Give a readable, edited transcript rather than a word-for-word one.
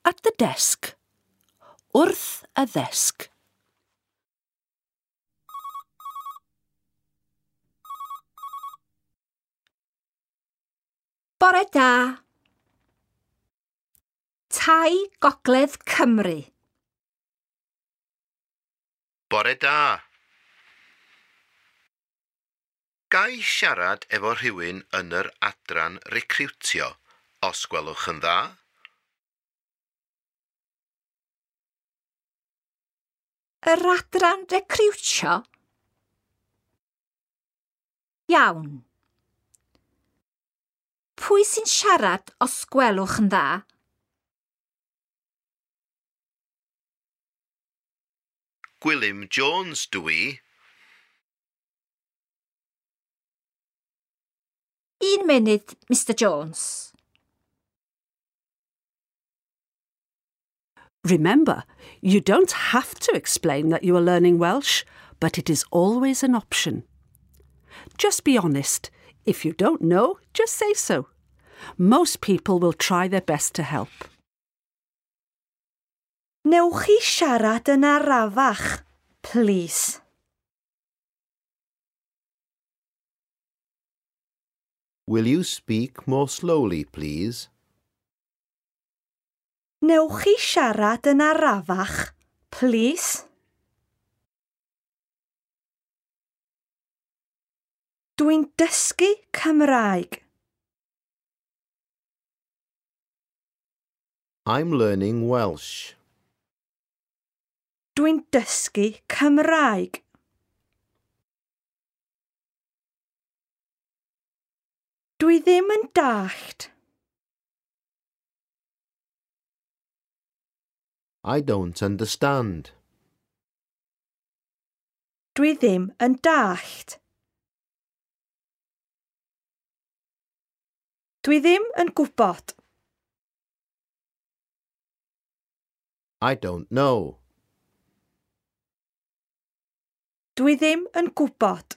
At the desk. Wrth y ddesg. Bore da. Tai Gogledd Cymru. Bore da. Ga i siarad efo rhywun yn yr adran recriwtio, os gwelwch yn dda? Yr adran recriwtio? Iawn. Pwy sy'n siarad os gwelwch yn dda? Gwilym Jones dw i. Un munud, Mr Jones. Remember, you don't have to explain that you are learning Welsh, but it is always an option. Just be honest. If you don't know, just say so. Most people will try their best to help. Newch chi siarad yn arafach, plîs? Will you speak more slowly, please? Newch chi siarad yn arafach, plîs? Dwi'n dysgu Cymraeg. I'm learning Welsh. Dwi'n dysgu Cymraeg. Dwi ddim yn dallt. I don't understand. Dwi ddim yn dallt. Dwi ddim yn gwybod. I don't know. Dwi ddim yn gwybod.